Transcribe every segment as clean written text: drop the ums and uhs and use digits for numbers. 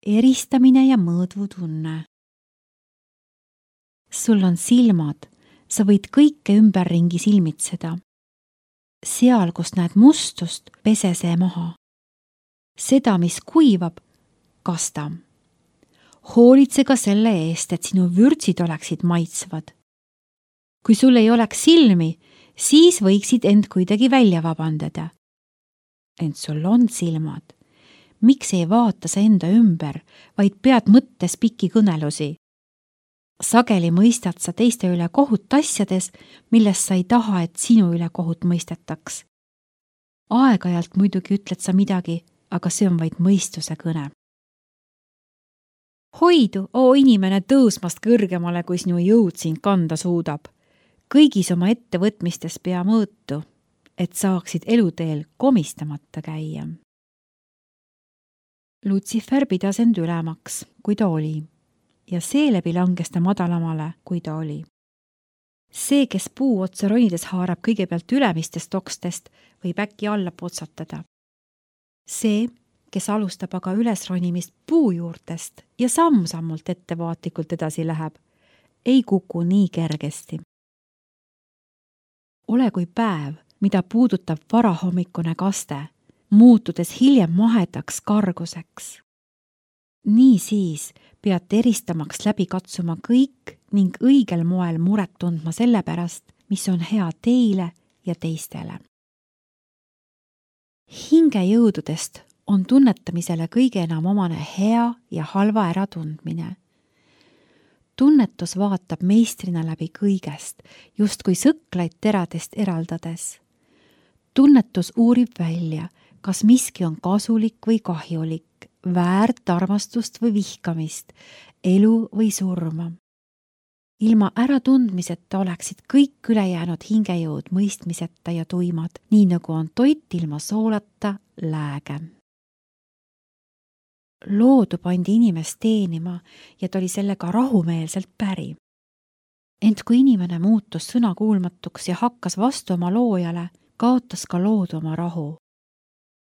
eristamine ja mõõdvutunne. Sul on silmad, sa võid kõike ümberringi silmitseda. Seal, kus näed mustust, pese see maha. Seda, mis kuivab, kasta. Hoolitse ka selle eest, et sinu vürtsid oleksid maitsvad. Kui sul ei oleks silmi, siis võiksid end kuidagi välja vabandada. Ent sul on silmad. Miks ei vaata sa enda ümber, vaid pead mõttes pikki kõnelusi? Sageli mõistad sa teiste üle kohut asjades, millest sa ei taha, et sinu üle kohut mõistetaks. Aeg-ajalt muidugi ütled sa midagi, aga see on vaid mõistuse kõne. Hoidu, inimene, tõusmast kõrgemale, kui sinu jõud sind kanda suudab. Kõigis oma ettevõtmistes pea mõõtu, et saaksid eluteel komistamata käia. Lutsifer pidas end ülemaks, kui ta oli, ja seeläbi langes ta madalamale, kui ta oli. See, kes puu otsa ronides haarab kõigepealt ülemistest okstest, võib äkki alla potsatada. See, kes alustab aga ülesronimist puu juurtest ja samm-sammult ettevaatlikult edasi läheb, ei kuku nii kergesti. Ole kui päev, mida puudutab varahommikune kaste, muutudes hiljem mahedaks karguseks. Nii siis pead eristamaks läbi katsuma kõik ning õigel moel muret tundma selle pärast, mis on hea teile ja teistele. Hingejõududest on tunnetamisele kõige enam omane hea ja halva äratundmine. Tunnetus vaatab meistrina läbi kõigest, justkui sõklaid teradest eraldades. Tunnetus uurib välja, kas miski on kasulik või kahjulik, väärt armastust või vihkamist, elu või surma. Ilma äratundmiseta oleksid kõik ülejäänud hingejõud mõistmiseta ja tuimad, nii nagu on toit ilma soolata lääge. Loodu pandi inimest teenima ja ta oli sellega rahumeelselt päri. Ent kui inimene muutus sõnakuulmatuks ja hakkas vastu oma loojale, kaotas ka loodu oma rahu.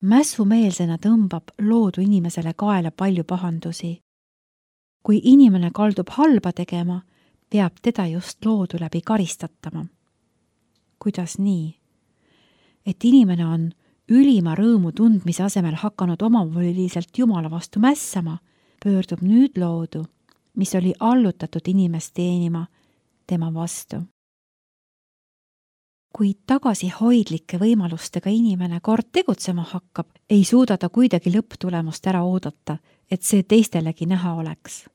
Mässumeelsena tõmbab loodu inimesele kaela palju pahandusi. Kui inimene kaldub halba tegema, peab teda just loodu läbi karistatama. Kuidas nii? Et inimene on ülima rõõmu tundmise asemel hakanud omavoliliselt Jumala vastu mässama, pöördub nüüd loodu, mis oli allutatud inimest teenima, tema vastu. Kui tagasihoidlike võimalustega inimene kord tegutsema hakkab, ei suuda ta kuidagi lõpptulemust ära oodata, et see teistelegi näha oleks.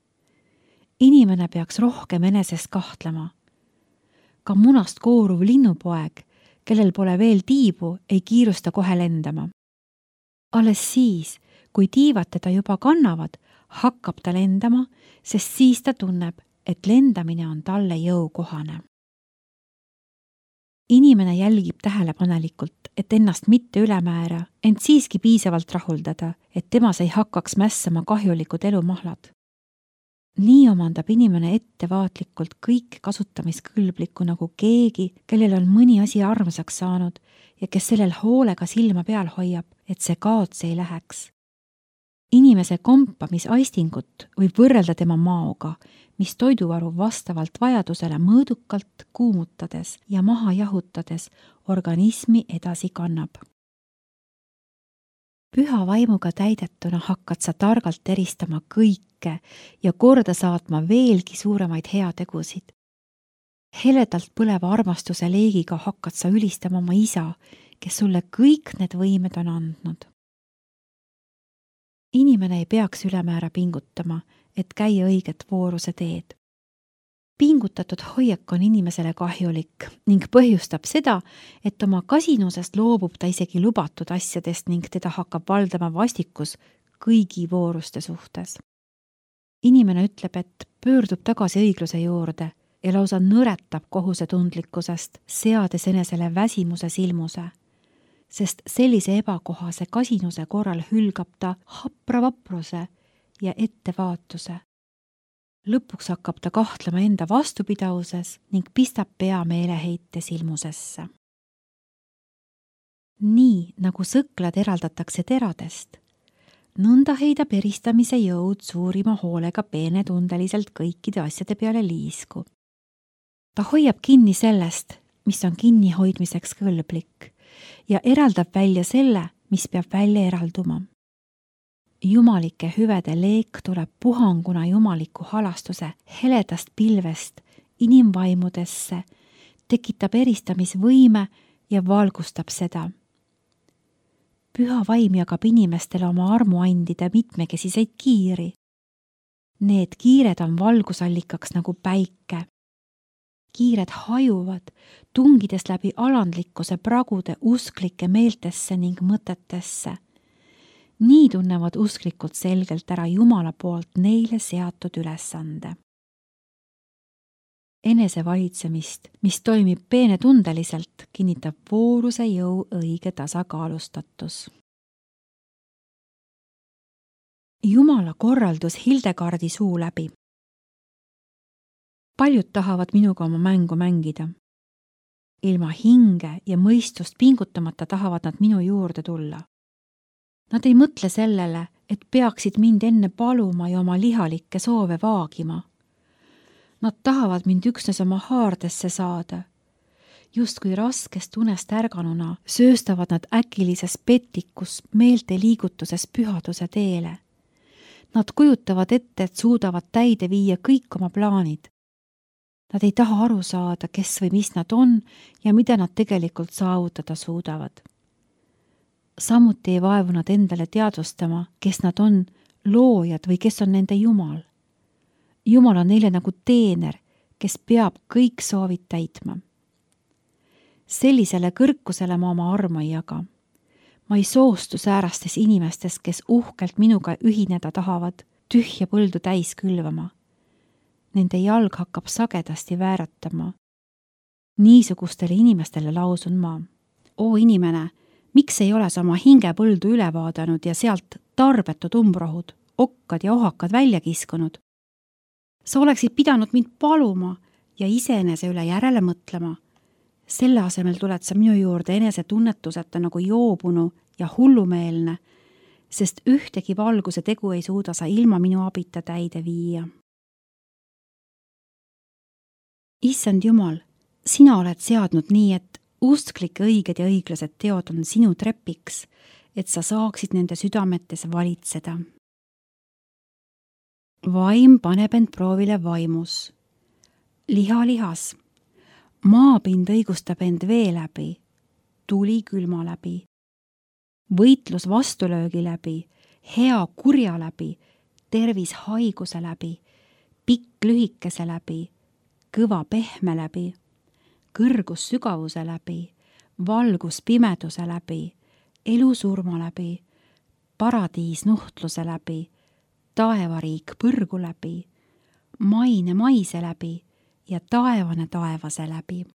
Inimene peaks rohkem enesest kahtlema. Ka munast kooruv linnupoeg, kellel pole veel tiibu, ei kiirusta kohe lendama. Alles siis, kui tiivad teda juba kannavad, hakkab ta lendama, sest siis ta tunneb, et lendamine on talle jõukohane. Inimene jälgib tähelepanelikult, et ennast mitte ülemäära, ent siiski piisavalt rahuldada, et temas ei hakkaks mässama kahjulikud elumahlad. Nii omandab inimene ettevaatlikult kõik kasutamiskõlblikku nagu keegi, kellel on mõni asi armsaks saanud ja kes sellel hoolega silma peal hoiab, et see kaotsi ei läheks. Inimese kompamisaistingut võib võrrelda tema maoga, mis toiduvaru vastavalt vajadusele mõõdukalt kuumutades ja maha jahutades organismi edasi kannab. Püha vaimuga täidetuna hakkad sa targalt eristama kõike ja korda saatma veelgi suuremaid heategusid. Heledalt põleva armastuse leegiga hakkad sa ülistama oma isa, kes sulle kõik need võimed on andnud. Inimene ei peaks ülemäära pingutama, et käia õiget vooruse teed. Pingutatud hoiak on inimesele kahjulik ning põhjustab seda, et oma kasinusest loobub ta isegi lubatud asjadest ning teda hakkab valdama vastikus kõigi vooruste suhtes. Inimene ütleb, et pöördub tagasi õigluse juurde ja lausa nõretab kohusetundlikkusest, seades enesele väsimuse silmuse, sest sellise ebakohase kasinuse korral hülgab ta hapra vapruse ja ettevaatuse. Lõpuks hakkab ta kahtlema enda vastupidavuses ning pistab pea meeleheite silmusesse. Nii nagu sõklad eraldatakse teradest, nõnda heidab eristamise jõud suurima hoolega peenetundeliselt kõikide asjade peale liisku. Ta hoiab kinni sellest, mis on kinnihoidmiseks kõlblik ja eraldab välja selle, mis peab välja eralduma. Jumalike hüvede leek tuleb puhanguna jumaliku halastuse heledast pilvest inimvaimudesse, tekitab eristamisvõime ja valgustab seda. Püha vaim jagab inimestele oma armuandide mitmekesiseid kiiri. Need kiired on valgusallikaks nagu päike. Kiired hajuvad, tungides läbi alandlikkuse pragude usklike meeltesse ning mõtetesse. Nii tunnevad usklikult selgelt ära Jumala poolt neile seatud ülesande. Enesevalitsemist, mis toimib peenetundeliselt, kinnitab vooruse jõu õige tasakaalustatus. Jumala korraldus Hildegardi suu läbi. Paljud tahavad minuga oma mängu mängida. Ilma hinge ja mõistust pingutamata tahavad nad minu juurde tulla. Nad ei mõtle sellele, et peaksid mind enne paluma ja oma lihalikke soove vaagima. Nad tahavad mind üksnes oma haardesse saada. Justkui raskest unest ärganuna sööstavad nad äkilises petikus meelte liigutuses pühaduse teele. Nad kujutavad ette, et suudavad täide viia kõik oma plaanid. Nad ei taha aru saada, kes või mis nad on ja mida nad tegelikult saavutada suudavad. Samuti ei vaevu nad endale teadvustama, kes nad on, loojad või kes on nende Jumal. Jumal on neile nagu teener, kes peab kõik soovid täitma. Sellisele kõrkusele ma oma armu ei jaga. Ma ei soostu säärastes inimestes, kes uhkelt minuga ühineda tahavad, tühja põldu täis külvama. Nende jalg hakkab sagedasti vääratama. Niisugustele inimestele lausun ma. Oo inimene, miks ei ole sa oma hingepõldu üle vaadanud ja sealt tarbetud umbrohud, okkad ja ohakad välja kiskunud? Sa oleksid pidanud mind paluma ja iseenese üle järele mõtlema. Selle asemel tuled sa minu juurde enese tunnetuseta nagu joobunu ja hullumeelne, sest ühtegi valguse tegu ei suuda sa ilma minu abita täide viia. Issand Jumal, sina oled seadnud nii, et usklike õiged ja õiglased teod on sinu trepiks, et sa saaksid nende südametes valitseda. Vaim paneb end proovile vaimus. Liha lihas. Maapind õigustab end vee läbi, tuli külma läbi. Võitlus vastulöögi läbi, hea kurja läbi, tervis haiguse läbi, pikk lühikese läbi, kõva pehme läbi, kõrgus sügavuse läbi, valgus pimeduse läbi, elu surma läbi, paradiis nuhtluse läbi, taevariik põrgu läbi, maine maise läbi ja taevane taevase läbi.